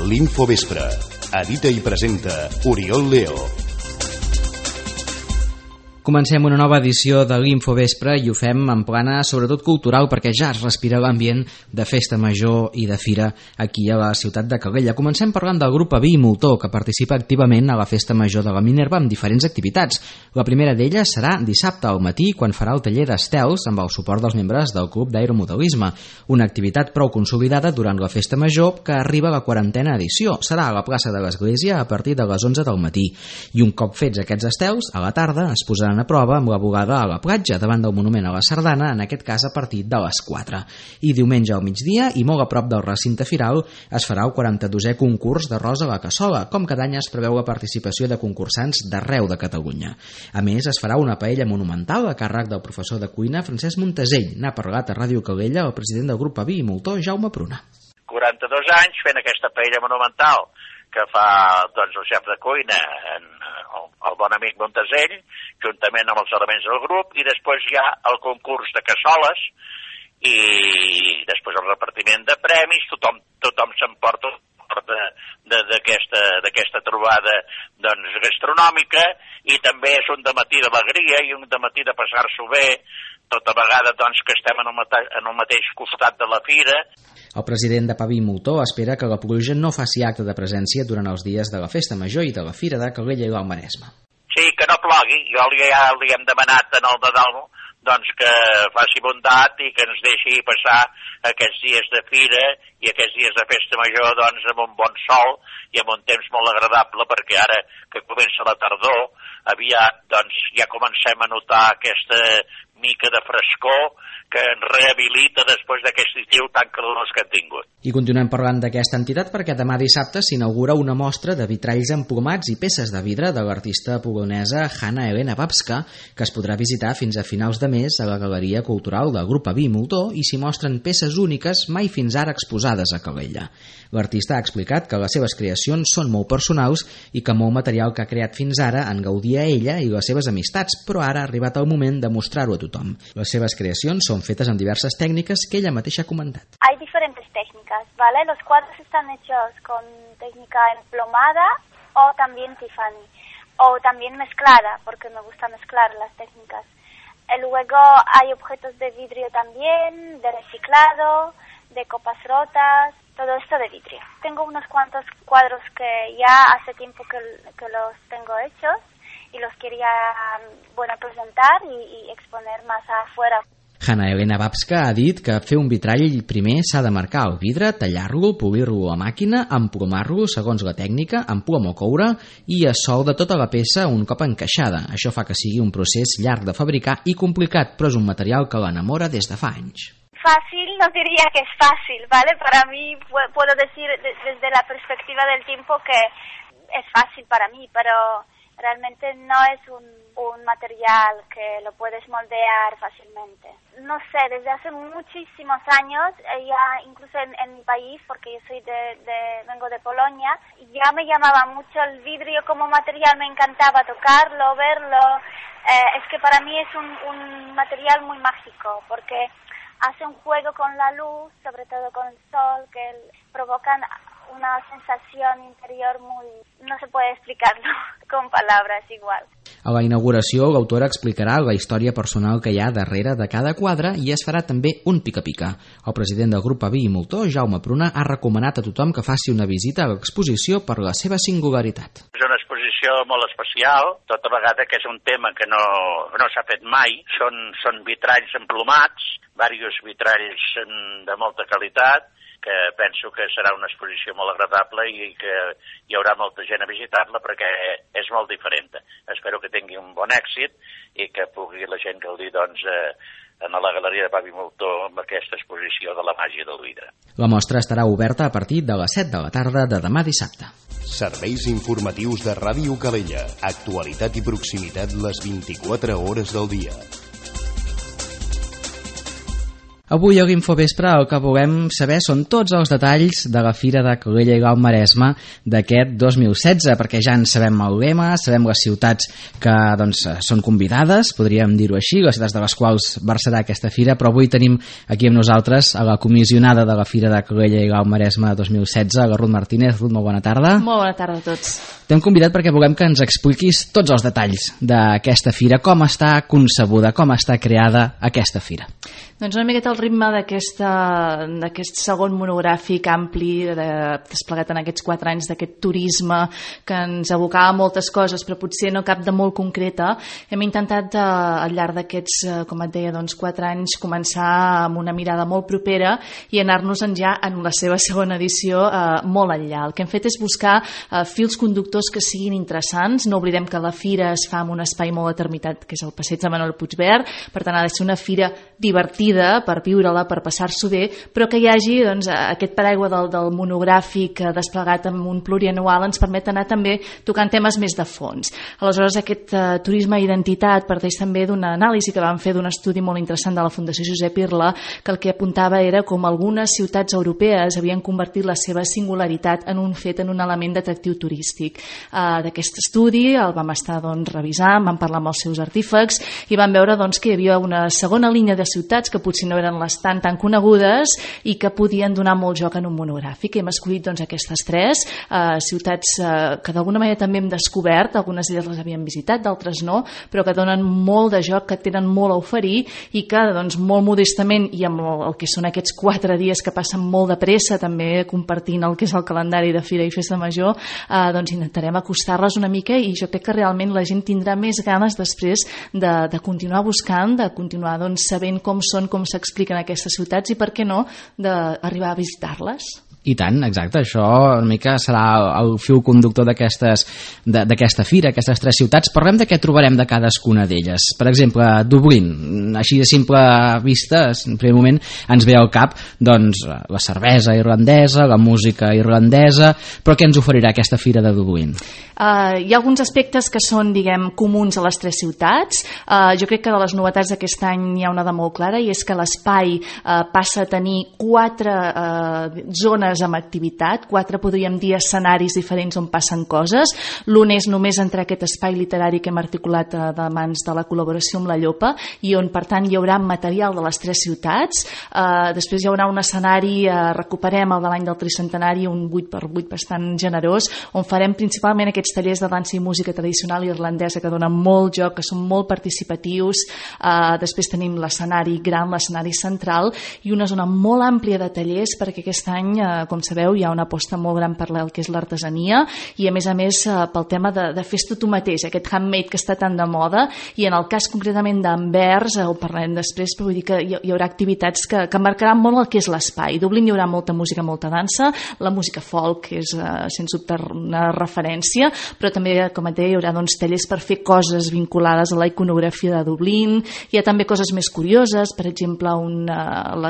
L'Infovespre. Edita i presenta Oriol Leo. Comencem una nova edició de l'Infovespre i ho fem en plana sobretot cultural perquè ja es respira l'ambient de festa major i de fira aquí a la ciutat de Calella. Comencem parlant del grup Aví i Moltó, que participa activament a la festa major de la Minerva amb diferents activitats. La primera d'elles serà dissabte al matí, quan farà el taller d'estels amb el suport dels membres del Club d'Aeromodelisme, una activitat prou consolidada durant la festa major que arriba a la 40a edició. Serà a la plaça de l'Església a partir de les 11 del matí. I un cop fets aquests estels, a la tarda es posaran a prova amb la bugada a la platja davant del monument a la Sardana, en aquest cas a partir de les 4. I diumenge al migdia, i molt a prop del recinte firal, es farà el 42è concurs d'arròs a la cassola. Com cada any es preveu la participació de concursants d'arreu de Catalunya. A més, es farà una paella monumental a càrrec del professor de cuina Francesc Montesell. N'ha parlat a Ràdio Calella el president del grup Aví i Moltó, Jaume Pruna. 42 anys fent aquesta paella monumental que fa el xef de cuina, el bon amic Montesell, juntament amb els elements del grup, i després hi ha el concurs de cassoles i després el repartiment de premis. Tothom s'emporta d'aquesta trobada gastronòmica, i també és un dematí d'alegria i un dematí de passar-s'ho bé, tota vegada que estem en el mateix costat de la fira. El president de Aví i Moltó espera que la pluja no faci acte de presència durant els dies de la festa major i de la fira de Calella i l'Alt Maresme. Sí, que no plogui. Jo ja li hem demanat en el Nadal que faci bondat i que ens deixi passar aquests dies de fira i aquests dies de festa major amb un bon sol i amb un temps molt agradable, perquè ara que comença la tardor aviat ja comencem a notar aquesta mica de frescor que ens rehabilita després d'aquest estiu tan calorós que hem tingut. I continuem parlant d'aquesta entitat perquè demà dissabte s'inaugura una mostra de vitralls emplomats i peces de vidre de l'artista polonesa Hanna Elena Babska, que es podrà visitar fins a finals de mes a la Galeria Cultural del grup Aví i Moltó, i s'hi mostren peces úniques mai fins ara exposades a Calella. L'artista ha explicat que les seves creacions són molt personals i que molt material que ha creat fins ara en gaudia ella i les seves amistats, però ara ha arribat el moment de mostrar-ho a tothom. Les seves creacions són fetes amb diverses técnicas que ella mateixa ha comentat. Hay diferentes técnicas, ¿vale? Los cuadros están hechos con técnica emplomada o también Tiffany, o también mezclada, porque me gusta mezclar las técnicas. Luego hay objetos de vidrio también, de reciclado, de copas rotas, todo esto de vidrio. Tengo unos cuantos cuadros que ya hace tiempo que los tengo hechos y los quería presentar y exponer más afuera. Hanna Elena Babska ha dit que fer un vitrall primer s'ha de marcar el vidre, tallar-lo, polir-lo a màquina, emplomar-lo segons la tècnica, amb plom o coure, i a sol de tota la peça un cop encaixada. Això fa que sigui un procés llarg de fabricar i complicat, però és un material que l'enamora des de fa anys. Fácil, no diría que es fácil, ¿vale? Para mí puedo decir desde la perspectiva del tiempo que es fácil para mí, pero realmente no es un material que lo puedes moldear fácilmente. No sé, desde hace muchísimos años, ya incluso en mi país, porque yo soy vengo de Polonia, ya me llamaba mucho el vidrio como material, me encantaba tocarlo, verlo. Es que para mí es un material muy mágico, porque hace un juego con la luz, sobre todo con el sol, que provocan una sensación interior muy... no se puede explicarlo con palabras igual. A la inauguració, l'autora explicarà la història personal que hi ha darrere de cada quadre i es farà també un pica-pica. El president del grup Aví i Moltó, Jaume Pruna, ha recomanat a tothom que faci una visita a l'exposició per la seva singularitat. És una exposició molt especial, tota vegada que és un tema que no s'ha fet mai. Són vitralls emplomats, diversos vitralls de molta qualitat, que penso que serà una exposició molt agradable i que hi haurà molta gent a visitar-la perquè és molt diferent. Espero que tingui un bon èxit i que pugui la gent gaudir en la Galeria de Aví i Moltó amb aquesta exposició de la màgia del vidre. La mostra estarà oberta a partir de les 7 de la tarda de demà dissabte. Serveis informatius de Ràdio Calella. Actualitat i proximitat les 24 hores del dia. Avui a l'Infovespre el que volem saber són tots els detalls de la Fira de Calella i l'Alt Maresme d'aquest 2016, perquè ja en sabem el lema, sabem les ciutats que són convidades, podríem dir-ho així, les ciutats de les quals versarà aquesta fira, però avui tenim aquí amb nosaltres a la comissionada de la Fira de Calella i l'Alt Maresme 2016, la Ruth Martínez. Ruth, molt bona tarda. Molt bona tarda a tots. T'hem convidat perquè volem que ens expliquis tots els detalls d'aquesta fira, com està concebuda, com està creada aquesta fira. Doncs una miqueta el ritme d'aquest segon monogràfic ampli desplegat en aquests 4 anys d'aquest turisme que ens abocava a moltes coses però potser no cap de molt concreta. Hem intentat al llarg d'aquests, com et deia, 4 anys començar amb una mirada molt propera i anar-nos-en ja en la seva segona edició molt enllà. El que hem fet és buscar fils conductors que siguin interessants. No oblidem que la fira es fa en un espai molt determinat que és el passeig de Manuel Puigvert, per tant ha de ser una fira divertida per viure-la, per passar-s'ho bé, però que hi hagi aquest paraigua del monogràfic desplegat en un plurianual ens permet anar també tocant temes més de fons. Aleshores aquest turisme identitat parteix també d'una anàlisi que vam fer d'un estudi molt interessant de la Fundació Josep Irla, que el que apuntava era com algunes ciutats europees havien convertit la seva singularitat en un fet, en un element d'atractiu turístic. D'aquest estudi el vam estar revisant, vam parlar amb els seus artífecs i vam veure que hi havia una segona línia de ciutats que potser no eren les tan conegudes i que podien donar molt joc en un monogràfic. Hem escollit aquestes 3 ciutats que d'alguna manera també hem descobert, algunes d'elles les havíem visitat, d'altres no, però que donen molt de joc, que tenen molt a oferir i que molt modestament i amb el que són aquests 4 dies que passen molt de pressa, també compartint el que és el calendari de Fira i Festa Major, intentarem acostar-les una mica i jo crec que realment la gent tindrà més ganes després de continuar buscant, de continuar sabent com són, com s'expliquen aquestes ciutats i per què no d'arribar a visitar-les. I tant, exacte, això una mica serà el fil conductor d'aquesta fira, aquestes 3 ciutats. Parlem de què trobarem de cadascuna d'elles. Per exemple, Dublín, així de simple vista, en primer moment ens ve al cap la cervesa irlandesa, la música irlandesa, però què ens oferirà aquesta fira de Dublín? Hi ha alguns aspectes que són, comuns a les 3 ciutats. Jo crec que de les novetats d'aquest any hi ha una de molt clara i és que l'espai passa a tenir 4 zones amb activitat, 4 podríem dir escenaris diferents on passen coses. L'un és només entrar a aquest espai literari que hem articulat de mans de la col·laboració amb la Llopa i on per tant hi haurà material de les 3 ciutats. Després hi haurà un escenari, recuperem el de l'any del tricentenari, un 8x8 bastant generós, on farem principalment aquests tallers de dansa i música tradicional irlandesa que donen molt joc, que són molt participatius. Després tenim l'escenari gran, l'escenari central i una zona molt àmplia de tallers perquè aquest any com sabeu, hi ha una aposta molt gran per el que és l'artesania i a més pel tema de fes-te tu mateix, aquest handmade que està tan de moda i en el cas concretament d'Anvers, ho parlarem després, però vull dir que hi haurà activitats que marcaran molt el que és l'espai. A Dublín hi haurà molta música, molta dansa, la música folk és sens dubte una referència, però també, com et deia, hi haurà tallers per fer coses vinculades a la iconografia de Dublín. Hi ha també coses més curioses, per exemple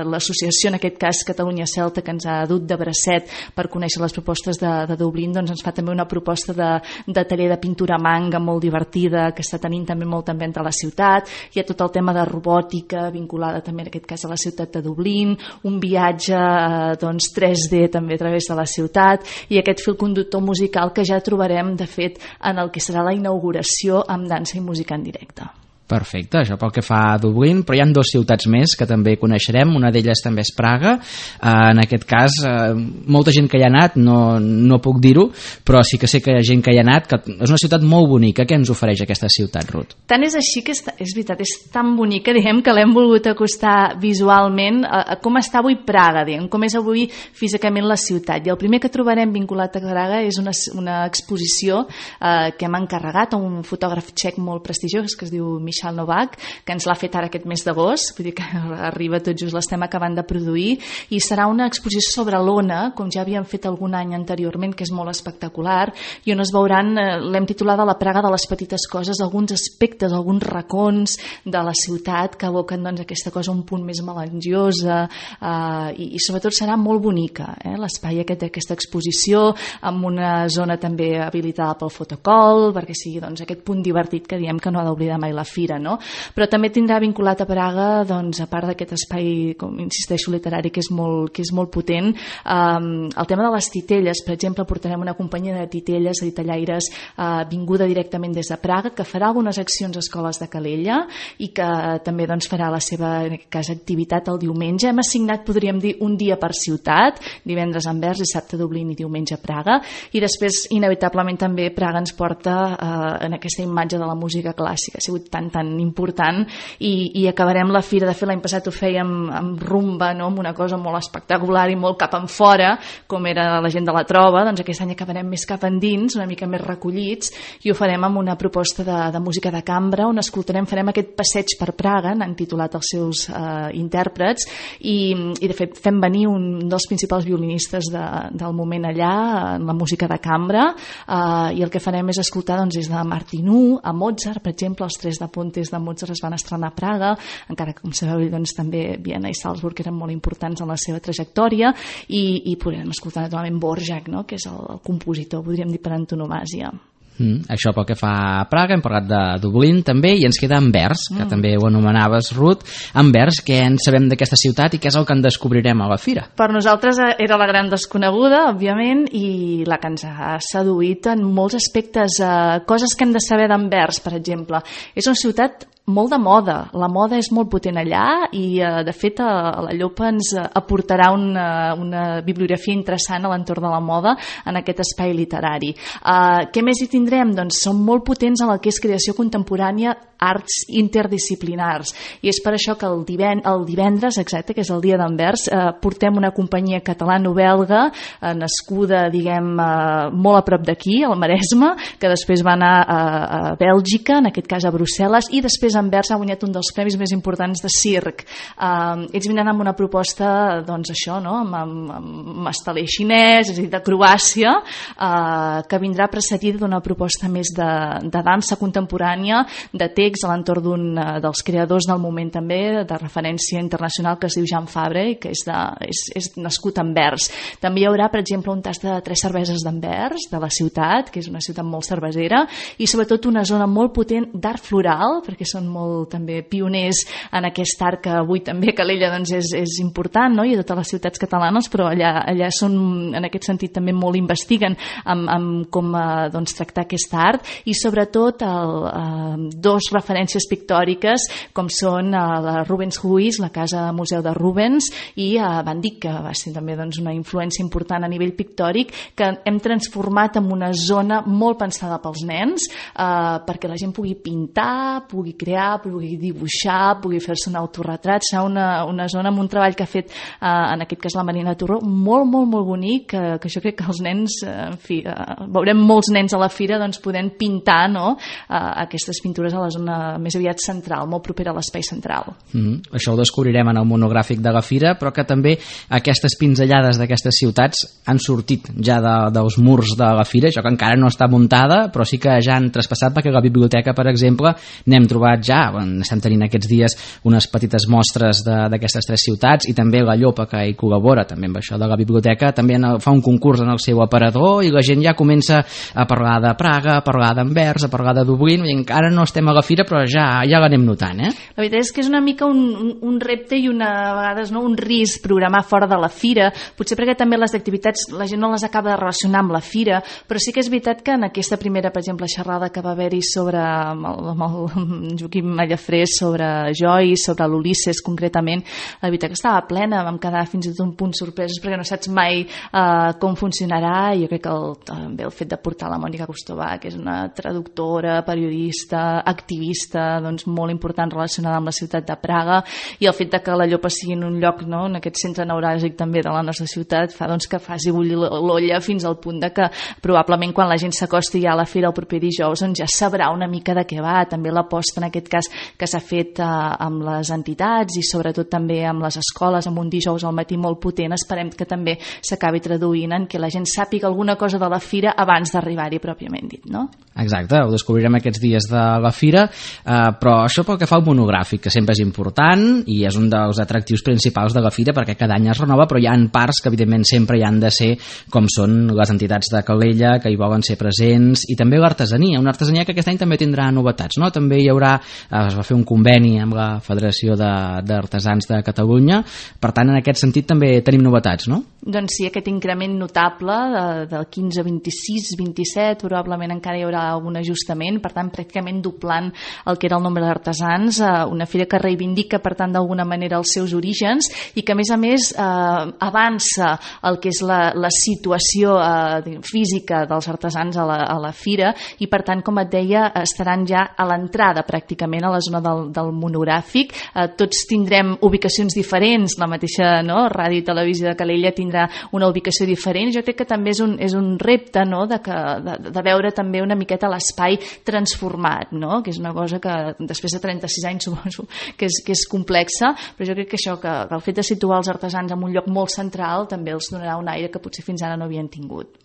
l'associació, en aquest cas Catalunya Celta, que ens ha dut de bracet per conèixer les propostes de Dublín, ens fa també una proposta de taller de pintura a manga molt divertida que està tenint també molt en venda a la ciutat. Hi ha tot el tema de robòtica vinculada també en aquest cas a la ciutat de Dublín, un viatge 3D també a través de la ciutat i aquest fil conductor musical que ja trobarem de fet en el que serà la inauguració amb dansa i música en directe. Perfecte, això pel que fa a Dublín, però hi ha 2 ciutats més que també coneixerem, una d'elles també és Praga. En aquest cas, molta gent que hi ha anat, no puc dir-ho, però sí que sé que hi ha gent que hi ha anat, que és una ciutat molt bonica. Què ens ofereix aquesta ciutat, Ruth? Tant és així que és veritat, és tan bonica, que l'hem volgut acostar visualment a com està avui Praga, com és avui físicament la ciutat. I el primer que trobarem vinculat a Praga és una exposició que hem encarregat a un fotògraf txec molt prestigiós que es diu Michal Novak, que ens l'ha fet ara aquest mes d'agost, vull dir que arriba tot just l'estem acabant de produir, i serà una exposició sobre l'Ona, com ja havíem fet algun any anteriorment, que és molt espectacular, i on es veuran, l'hem titulada La Praga de les petites coses, alguns aspectes, alguns racons de la ciutat que evoquen aquesta cosa un punt més melangiosa, i sobretot serà molt bonica, l'espai d'aquesta exposició, amb una zona també habilitada pel fotocol, perquè sigui aquest punt divertit que diem que no ha d'oblidar mai la fira, fira, no? Però també tindrà vinculat a Praga, doncs, a part d'aquest espai, com insisteixo, literari, que és molt potent, el tema de les titelles. Per exemple, portarem una companyia de titelles, de titellaires, vinguda directament des de Praga, que farà algunes accions a escoles de Calella i que també doncs, farà la seva, en aquest cas, activitat el diumenge. Hem assignat, podríem dir, un dia per ciutat, divendres a Anvers, dissabte a Dublín i diumenge a Praga, i després, inevitablement, també Praga ens porta en aquesta imatge de la música clàssica. Ha sigut tan important i acabarem la fira. De fet, l'any passat ho fèiem amb rumba, no? Amb una cosa molt espectacular i molt cap en fora, com era la gent de la trova. Doncs aquest any acabarem més cap endins, una mica més recollits, i ho farem amb una proposta de música de cambra, on farem aquest passeig per Praga, n'han titulat els seus intèrprets, i de fet fem venir un dels principals violinistes del moment allà, en la música de cambra, i el que farem és escoltar doncs, des de Martinů a Mozart, per exemple, els Tres de Pontes de Mozart es van estrenar a Praga, encara que, com sabeu, doncs, també Viena i Salzburg eren molt importants en la seva trajectòria, i podrem escoltar naturalment Dvořák, no? Que és el compositor, podríem dir, per antonomàsia. Això pel que fa a Praga. Hem parlat de Dublín també, i ens queda Anvers, que també ho anomenaves, Ruth. Anvers, què en sabem d'aquesta ciutat i què és el que en descobrirem a la fira? Per nosaltres era la gran desconeguda, òbviament, i la que ens ha seduït en molts aspectes, coses que hem de saber d'Anvers, per exemple. És una ciutat molt de moda, la moda és molt potent allà, i de fet la Llopa ens aportarà una bibliografia interessant a l'entorn de la moda en aquest espai literari. Què més hi tindrem? Doncs són molt potents en el que és creació contemporània, arts interdisciplinars, i és per això que el divendres, exacte, que és el dia d'Anvers, portem una companyia catalano-belga nascuda, diguem, molt a prop d'aquí, al Maresme, que després va anar a Bèlgica, en aquest cas a Brussel·les, i després Anvers ha guanyat un dels premis més importants de circ. Ells vindran amb una proposta, doncs això, no? amb estelé xinès, és a dir, de Croàcia, que vindrà precedida d'una proposta més de dansa contemporània, de text a l'entorn d'un dels creadors del moment també, de referència internacional, que es diu Jean Fabre, i que és nascut a Anvers. També hi haurà, per exemple, un tast de 3 cerveses d'Anvers, de la ciutat, que és una ciutat molt cervesera, i sobretot una zona molt potent d'art floral, perquè són molt també pioners en aquest art que avui també a Calella doncs, és important, no? I a totes les ciutats catalanes, però allà són, en aquest sentit, també molt investiguen amb com doncs, tractar aquest art, i sobretot dos referències pictòriques com són la Rubens Huis, la Casa Museu de Rubens, i Van Dyck, que va ser també doncs, una influència important a nivell pictòric, que hem transformat en una zona molt pensada pels nens, perquè la gent pugui pintar, pugui crear, pugui dibuixar, pugui fer-se un autorretrat. Serà una zona amb un treball que ha fet, en aquest cas, la Marina Torró, molt bonic, que jo crec que els nens, en fi, veurem molts nens a la fira doncs, podent pintar, no? Aquestes pintures a la zona més aviat central, molt propera a l'espai central. Això ho descobrirem en el monogràfic de la fira, però que també aquestes pinzellades d'aquestes ciutats han sortit ja dels murs de la fira, això que encara no està muntada, però sí que ja han traspassat, perquè a la biblioteca, per exemple, n'hem trobat ja, estem tenint aquests dies unes petites mostres d'aquestes 3 ciutats, i també la Llopa, que hi col·labora també amb això de la biblioteca, també fa un concurs en el seu aparador, i la gent ja comença a parlar de Praga, a parlar d'Anvers, a parlar de Dublín, i encara no estem a la fira, però ja l'anem notant, eh? La veritat és que és una mica un repte i a vegades no, un risc programar fora de la fira, potser perquè també les activitats la gent no les acaba de relacionar amb la fira, però sí que és veritat que en aquesta primera, per exemple, xerrada que va haver-hi sobre amb el Joaquim Mallafrés, sobre Joyce, sobre l'Ulisses concretament, la veritat que estava plena, vam quedar fins i tot un punt sorpresos perquè no saps mai com funcionarà, i jo crec que també el fet de portar la Mònica Costovà, que és una traductora, periodista, activista, doncs molt important relacionada amb la ciutat de Praga, i el fet de que la Llopa sigui en un lloc, no, en aquest centre neuràlgic també de la nostra ciutat, fa doncs, que faci bullir l'olla fins al punt de que probablement quan la gent s'acosti ja a la fira el proper dijous doncs ja sabrà una mica de què va. També l'aposta en aquest cas que s'ha fet amb les entitats i sobretot també amb les escoles, amb un dijous al matí molt potent, esperem que també s'acabi traduint en que la gent sàpiga alguna cosa de la fira abans d'arribar-hi pròpiament dit, no? Exacte, ho descobrirem aquests dies de la fira, però això pel que fa al monogràfic, que sempre és important i és un dels atractius principals de la fira perquè cada any es renova, però hi ha parts que evidentment sempre hi han de ser, com són les entitats de Calella, que hi volen ser presents, i també l'artesania, una artesania que aquest any també tindrà novetats, no? També hi haurà es va fer un conveni amb la Federació d'Artesans de Catalunya, per tant en aquest sentit també tenim novetats, no? Doncs sí, aquest increment notable del 15, 26, 27, probablement encara hi haurà algun ajustament, per tant pràcticament doblant el que era el nombre d'artesans, una fira que reivindica per tant d'alguna manera els seus orígens i que a més avança el que és la situació física dels artesans a la fira i per tant, com et deia, estaran ja a l'entrada pràcticament a la zona del monogràfic. Tots tindrem ubicacions diferents, la mateixa Ràdio i Televisió de Calella tindrà una ubicació diferent. Jo crec que també és un repte de veure també una miqueta l'espai transformat, que és una cosa que després de 36 anys suposo que és complexa, però jo crec que això, que el fet de situar els artesans en un lloc molt central també els donarà un aire que potser fins ara no havien tingut.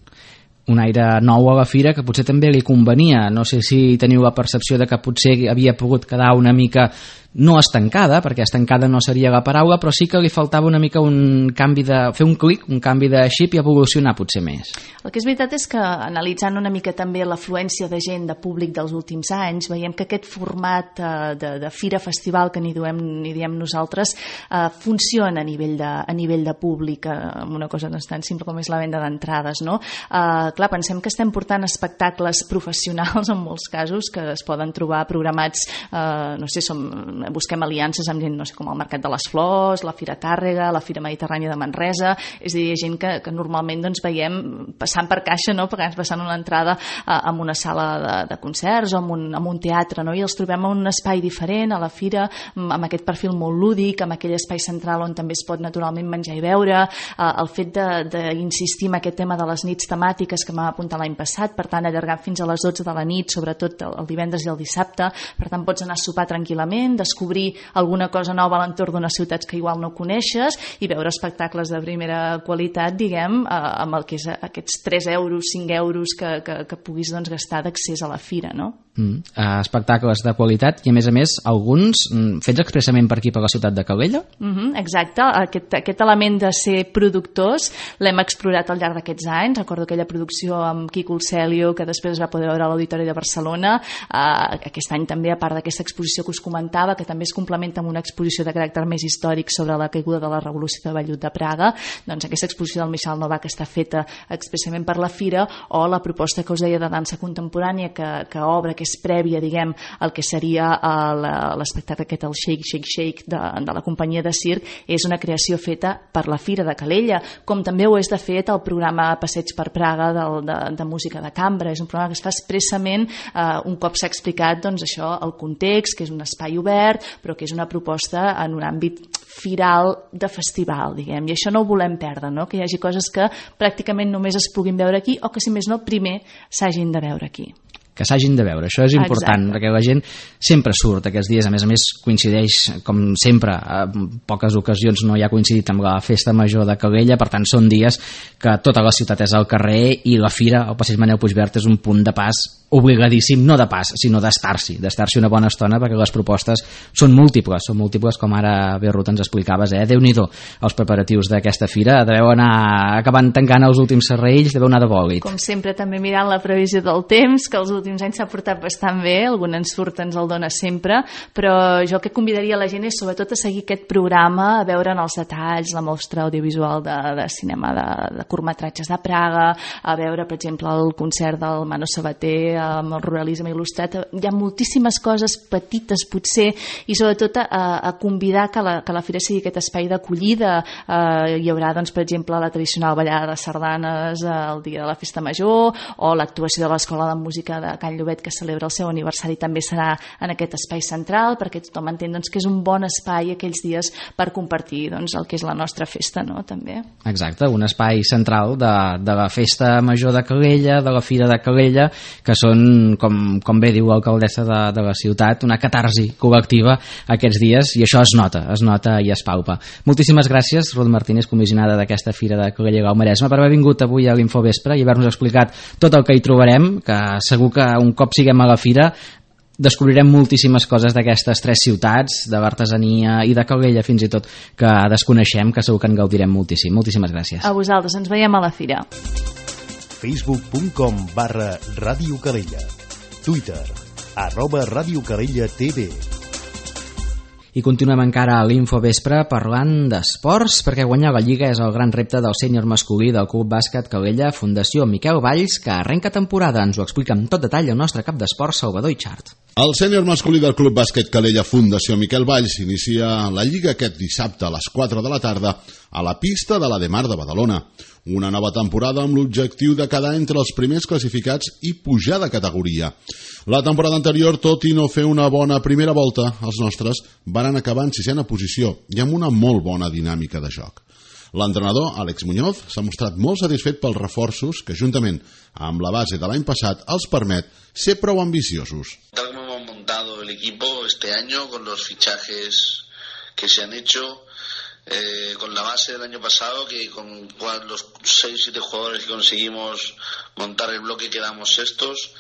Un aire nou a la fira que potser també li convenia. No sé si teniu la percepció de que potser havia pogut quedar una mica no estancada, perquè estancada no seria la paraula, però sí que li faltava una mica un canvi fer un clic, un canvi de xip i evolucionar potser més. El que és veritat és que analitzant una mica també l'afluència de gent, de públic dels últims anys, veiem que aquest format de fira-festival que n'hi diem nosaltres funciona a nivell de públic, amb una cosa tan simple com és la venda d'entrades, no? Clar, pensem que estem portant espectacles professionals en molts casos que es poden trobar programats, no sé, busquem aliances amb gent, no sé, com el Mercat de les Flors, la Fira Tàrrega, la Fira Mediterrània de Manresa, és a dir, gent que normalment veiem passant per caixa, passant una entrada en una sala de concerts o en un teatre, i els trobem en un espai diferent a la fira, amb aquest perfil molt lúdic, amb aquell espai central on també es pot naturalment menjar i beure, el fet d'insistir en aquest tema de les nits temàtiques que m'ha apuntat l'any passat, per tant allargant fins a les 12 de la nit, sobretot el divendres i el dissabte, per tant pots anar a sopar tranquil·lament, descobrir alguna cosa nova a l'entorn d'unes ciutats que igual no coneixes i veure espectacles de primera qualitat, diguem, amb el que és aquests 3 euros, 5 euros que puguis gastar d'accés a la fira, no? Espectacles de qualitat i a més alguns fets expressament per aquí, per la ciutat de Calella? Exacte, aquest element de ser productors l'hem explorat al llarg d'aquests anys. Recordo aquella producció amb Quico Celio que després es va poder veure a l'Auditori de Barcelona. Aquest any també, a part d'aquesta exposició que us comentava, que també es complementa amb una exposició de caràcter més històric sobre la caiguda de la Revolució de Vellut de Praga, doncs aquesta exposició del Michal Novak està feta expressament per la fira, o la proposta que us deia de dansa contemporània que obre, que és prèvia, diguem, el que seria l'espectacle aquest, el Shake, Shake, Shake de la companyia de circ, és una creació feta per la Fira de Calella, com també ho és de fet el programa Passeig per Praga de música de cambra. És un programa que es fa expressament un cop s'ha explicat això, el context, que és un espai obert, però que és una proposta en un àmbit firal de festival, diguem, i això no ho volem perdre, no? Que hi hagi coses que pràcticament només es puguin veure aquí o que, si més no, primer s'hagin de veure aquí. Que s'hagin de veure, això és important. Exacte. Perquè la gent sempre surt aquests dies, a més coincideix, com sempre, en poques ocasions no hi ha coincidit amb la festa major de Calella, per tant són dies que tota la ciutat és al carrer i la fira, el passeig Manel Puigverd, és un punt de pas obligadíssim, no de pas, sinó d'estar-s'hi una bona estona, perquè les propostes són múltiples, com ara Berrut ens explicaves, Déu-n'hi-do, els preparatius d'aquesta fira, deveu anar acabant tancant els últims serrells, deveu anar de bòlit. Com sempre, també mirant la previsió del temps, que els últims anys s'ha portat bastant bé, algun ensurt ens el dona sempre, però jo el que convidaria la gent és sobretot a seguir aquest programa, a veure en els detalls la mostra audiovisual de cinema de curtmetratges de Praga, a veure, per exemple, el concert del Mano Sabater amb el ruralisme il·lustrat. Hi ha moltíssimes coses petites potser, i sobretot a convidar que la fira sigui aquest espai d'acollida. Hi haurà, doncs, per exemple, la tradicional ballada de sardanes el dia de la festa major, o l'actuació de l'Escola de Música de Can Llobet, que celebra el seu aniversari, també serà en aquest espai central, perquè tothom entén que és un bon espai aquells dies per compartir el que és la nostra festa, no? També. Exacte, un espai central de la festa major de Calella, de la fira de Calella, que són, com bé diu l'alcaldessa de la ciutat, una catarsi col·lectiva aquests dies, i això es nota i es palpa. Moltíssimes gràcies, Ruth Martínez, comissionada d'aquesta fira de Calella i el Maresme, per haver vingut avui a l'Infovespre i haver-nos explicat tot el que hi trobarem, que segur que un cop siguem a la fira descobrirem moltíssimes coses d'aquestes 3 ciutats, de l'artesania i de Calella fins i tot, que desconeixem, que segur que en gaudirem moltíssim. Moltíssimes gràcies. A vosaltres, ens veiem a la fira. Facebook.com/Ràdio Calella. Twitter @radiocalella.tv. I continuem encara a l'Infovespre parlant d'esports, perquè guanyar la Lliga és el gran repte del sènior masculí del Club Bàsquet Calella Fundació Miquel Valls, que arrenca temporada. Ens ho explica amb tot detall el nostre cap d'esports Salvador Itxart. El sènior masculí del Club Bàsquet Calella Fundació Miquel Valls inicia la Lliga aquest dissabte a les 4 de la tarda a la pista de la Demar de Badalona. Una nova temporada amb l'objectiu de quedar entre els primers classificats i pujar de categoria. La temporada anterior, tot i no fer una bona primera volta, els nostres van acabar en 6ª posició i amb una molt bona dinàmica de joc. L'entrenador, Àlex Muñoz, s'ha mostrat molt satisfet pels reforços que, juntament amb la base de l'any passat, els permet ser prou ambiciosos. Tal como hemos montado el equipo este año, con los fichajes que se han hecho, con la base del año pasado, que con los 6-7 jugadores que conseguimos montar el bloque quedamos sextos.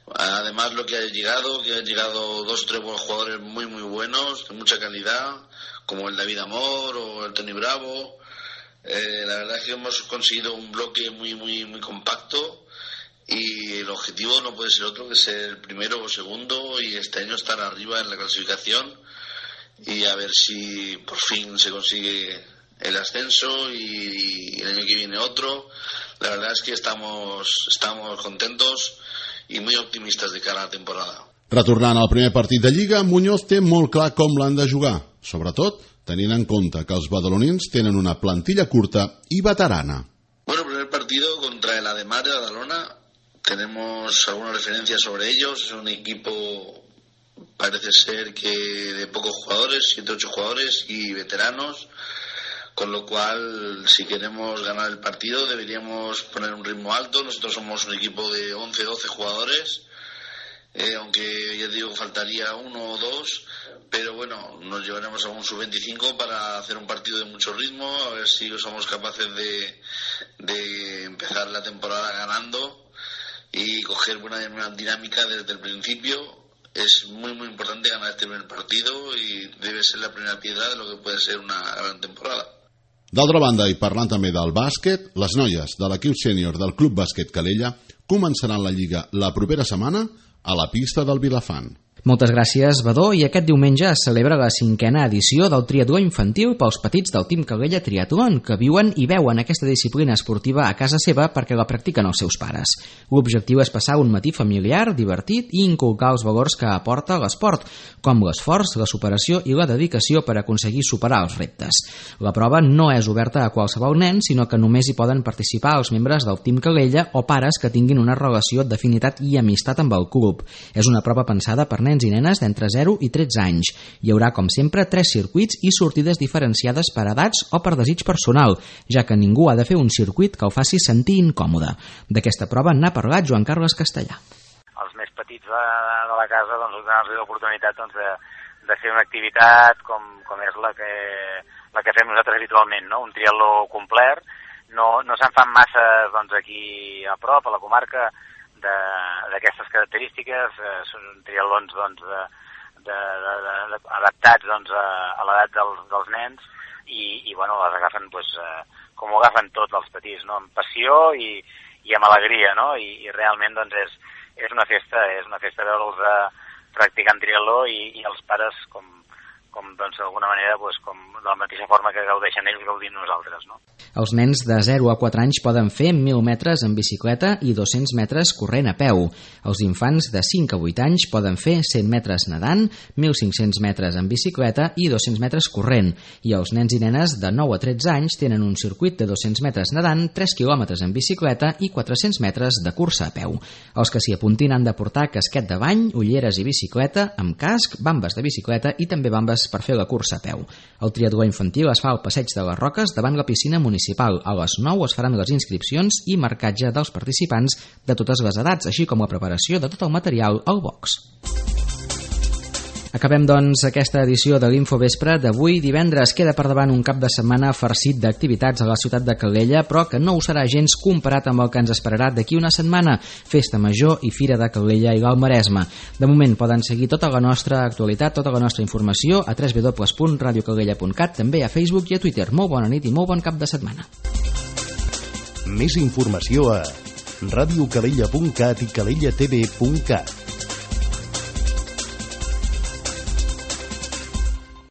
Además, lo que han llegado 2 o 3 buenos jugadores muy buenos, de mucha calidad, como el David Amor o el Tony Bravo. La verdad es que hemos conseguido un bloque muy compacto y el objetivo no puede ser otro que ser el primero o segundo y este año estar arriba en la clasificación y a ver si por fin se consigue el ascenso y el año que viene otro. La verdad es que estamos contentos i muy optimistes de cara a la temporada. Retornant al primer partit de Lliga, Muñoz té molt clar com l'han de jugar, sobretot tenint en compte que els badalonins tenen una plantilla curta i veterana. Bueno, el primer partido contra el Ademar de Badalona, tenemos algunas referencias sobre ellos. Es un equipo, parece ser que de pocos jugadores, 7 o 8 jugadores y veteranos, con lo cual, si queremos ganar el partido, deberíamos poner un ritmo alto. Nosotros somos un equipo de 11-12 jugadores, aunque ya digo, faltaría 1 o 2, pero bueno, nos llevaremos a un sub-25 para hacer un partido de mucho ritmo, a ver si somos capaces de empezar la temporada ganando y coger buena dinámica desde el principio. Es muy importante ganar este primer partido y debe ser la primera piedra de lo que puede ser una gran temporada. D'altra banda, i parlant també del bàsquet, les noies de l'equip sènior del Club Bàsquet Calella començaran la Lliga la propera setmana a la pista del Vilafant. Moltes gràcies, Badó, i aquest diumenge es celebra la 5ª edició del triatló infantil pels petits del Team Calella Triatlon, que viuen i veuen aquesta disciplina esportiva a casa seva perquè la practiquen els seus pares. L'objectiu és passar un matí familiar, divertit i inculcar els valors que aporta l'esport, com l'esforç, la superació i la dedicació per aconseguir superar els reptes. La prova no és oberta a qualsevol nen, sinó que només hi poden participar els membres del Team Calella o pares que tinguin una relació d'afinitat i amistat amb el club. És una prova pensada per nens i nenes d'entre 0 i 13 anys. Hi haurà, com sempre, 3 circuits i sortides diferenciades per edats o per desig personal, ja que ningú ha de fer un circuit que el faci sentir incòmode. D'aquesta prova n'ha parlat Joan Carles Castellà. Els més petits de la casa, doncs, donar-los l'oportunitat de fer una activitat com és la que fem nosaltres habitualment, no? Un triatló complet. No se'n fan massa aquí a prop, a la comarca, d'aquestes característiques. Són triatlons adaptats a l'edat dels nens i bueno, les agafen com ho agafen tots els petits, no? Amb passió i amb alegria, no? I realment és una festa veure'ls practicant triatló i els pares com d'alguna manera com de la mateixa forma que gaudeixen ells, gaudim nosaltres, no? Els nens de 0 a 4 anys poden fer 1.000 metres en bicicleta i 200 metres corrent a peu. Els infants de 5 a 8 anys poden fer 100 metres nedant, 1.500 metres en bicicleta i 200 metres corrent. I els nens i nenes de 9 a 13 anys tenen un circuit de 200 metres nedant, 3 quilòmetres en bicicleta i 400 metres de cursa a peu. Els que s'hi apuntin han de portar casquet de bany, ulleres i bicicleta, amb casc, bambes de bicicleta i també bambes per fer la cursa a peu. El triatló infantil es fa al Passeig de les Roques davant la piscina municipal. A les 9 es faran les inscripcions i marcatge dels participants de totes les edats, així com la preparació de tot el material al box. Acabem, doncs, aquesta edició de l'Infovespre d'avui divendres. Queda per davant un cap de setmana farcit d'activitats a la ciutat de Calella, però que no ho serà gens comparat amb el que ens esperarà d'aquí una setmana, Festa Major i Fira de Calella i l'Alt Maresme. De moment poden seguir tota la nostra actualitat, tota la nostra informació a www.radiocalella.cat, també a Facebook i a Twitter. Molt bona nit i molt bon cap de setmana. Més informació a radiocalella.cat i calellatv.cat.